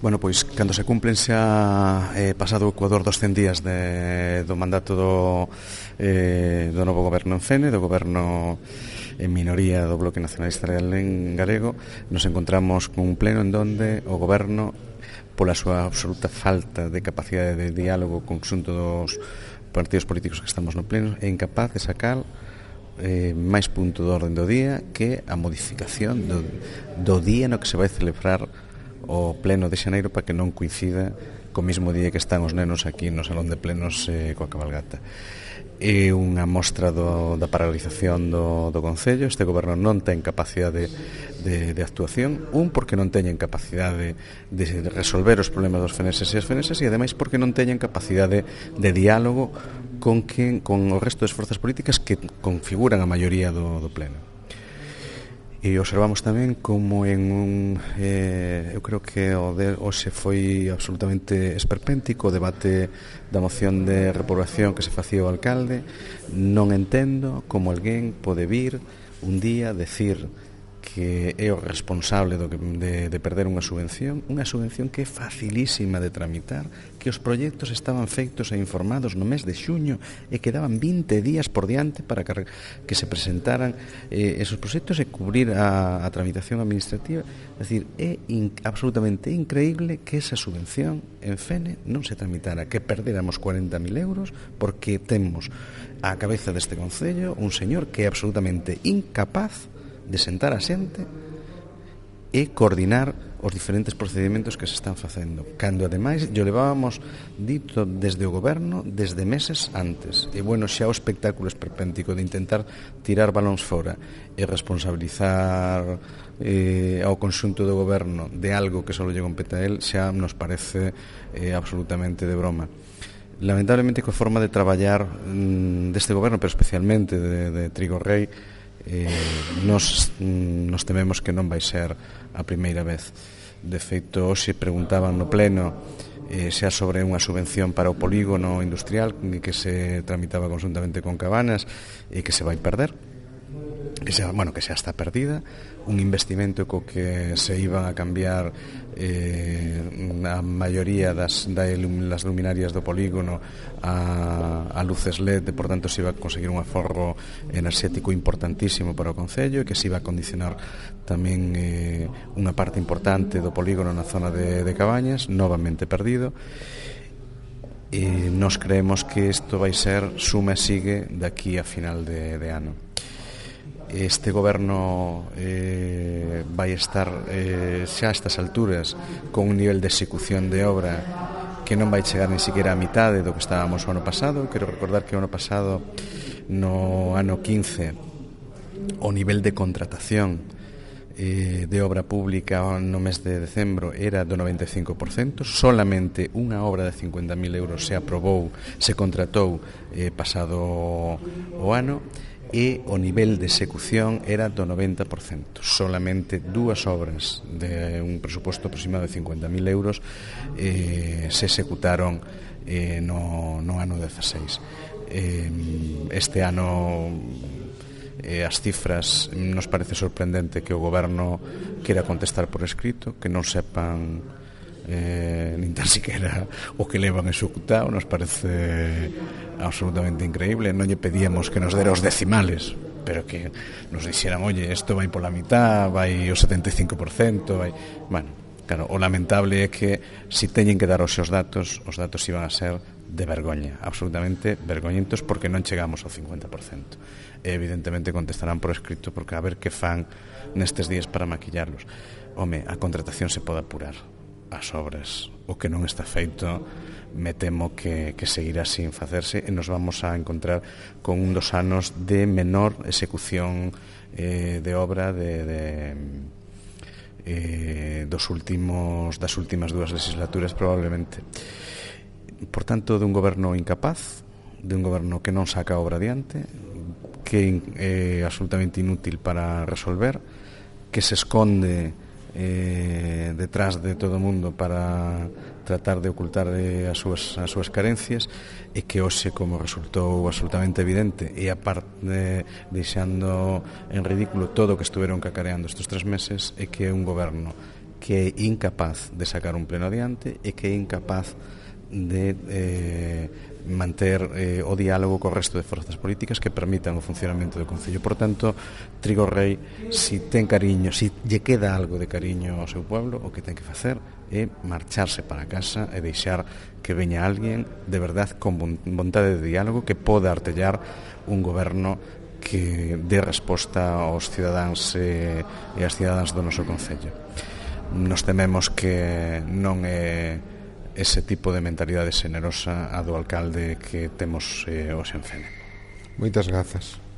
Bueno, pois, cando se cumplen xa pasado o Ecuador dos 100 días do mandato do novo goberno en Fene, do goberno en minoría do Bloque Nacionalista Galego, nos encontramos con un pleno en donde o goberno, pola súa absoluta falta de capacidade de diálogo con xunto dos partidos políticos que estamos no pleno, é incapaz de sacar máis punto do orden do día que a modificación do día no que se vai celebrar o pleno de xaneiro, para que non coincida co mesmo día que están os nenos aquí no salón de plenos coa cabalgata. É unha mostra da paralización do Concello. Este goberno non ten capacidade de actuación, porque non teñen capacidade de resolver os problemas dos feneses e as feneses, e ademais porque non teñen capacidade de diálogo con o resto das forzas políticas que configuran a maioría do pleno. E observamos tamén como eu creo que hoxe foi absolutamente esperpéntico o debate da moción de reprobación que se facía o alcalde. Non entendo como alguén pode vir un día decir que é o responsable de perder unha subvención que é facilísima de tramitar, que os proxectos estaban feitos e informados no mes de xuño e quedaban 20 días por diante para que se presentaran esos proxectos e cubrir a tramitación administrativa. É dicir, é absolutamente increíble que esa subvención en Fene non se tramitara, que perdéramos 40.000 euros porque temos á cabeza deste Concello un señor que é absolutamente incapaz de sentar a xente e coordinar os diferentes procedimentos que se están facendo, cando ademais yo levábamos dito desde o goberno desde meses antes. E bueno, xa o espectáculo esperpéntico de intentar tirar balóns fora e responsabilizar ao conxunto do goberno de algo que só lle compete a él xa nos parece absolutamente de broma. Lamentablemente, coa forma de traballar deste goberno, pero especialmente de Trigo Rei, nos tememos que non vai ser a primeira vez. De feito, hoxe preguntaban no pleno xa sobre unha subvención para o polígono industrial que se tramitaba conjuntamente con Cabanas e que se vai perder, que xa está perdida, un investimento co que se iban a cambiar a maioría das luminarias do polígono a luces LED, e por tanto se iba a conseguir un aforro enerxético importantísimo para o Concello, e que se iba a condicionar tamén unha parte importante do polígono na zona de Cabañas, novamente perdido. E nos creemos que isto vai ser suma e sigue daqui a final de ano. Este goberno vai estar xa a estas alturas con un nivel de execución de obra que non vai chegar ni siquiera a mitade do que estábamos o ano pasado. Quero recordar que o ano pasado, no ano 15, o nivel de contratación de obra pública no mes de decembro era do 95%. Solamente unha obra de 50.000 euros se aprobou, se contratou pasado o ano, e o nivel de execución era do 90%. Solamente dúas obras de un presuposto aproximado de 50.000 euros se executaron no ano 16. Este ano as cifras nos parece sorprendente que o goberno quera contestar por escrito, que non sepan nin tan siquiera o que levan executado. Nos parece absolutamente increíble. Non lle pedíamos que nos dera os decimales, pero que nos dixeran, oye, isto vai pola mitad, vai o 75%, vai... Bueno, claro, o lamentable é que si teñen que dar os seus datos, os datos iban a ser de vergoña, absolutamente vergoñentos, porque non chegamos ao 50%. E evidentemente contestarán por escrito, porque a ver que fan nestes días para maquillarlos. Home, a contratación se pode apurar, as obras, o que non está feito, me temo que seguirá sin facerse, e nos vamos a encontrar con un dos anos de menor execución de obra das últimas dúas legislaturas, probablemente. Por tanto, de un goberno incapaz, de un goberno que non saca a obra adiante, que é absolutamente inútil para resolver, que se esconde detrás de todo o mundo para tratar de ocultar as súas carencias, e que hoxe, como resultou absolutamente evidente, e aparte deixando en ridículo todo o que estuveron cacareando estes 3 meses, é que é un goberno que é incapaz de sacar un pleno adiante e que é incapaz de manter o diálogo co resto de forzas políticas que permitan o funcionamento do Concello. Por tanto, Trigo Rei, si ten cariño, si lle queda algo de cariño ao seu pueblo, o que ten que facer é marcharse para casa e deixar que veña alguén de verdad con vontade de diálogo que poda artellar un goberno que dé resposta aos cidadáns e as cidadáns do noso Concello. Nos tememos que non é ese tipo de mentalidade xenerosa a do alcalde que temos hoxe en Fene. Moitas grazas.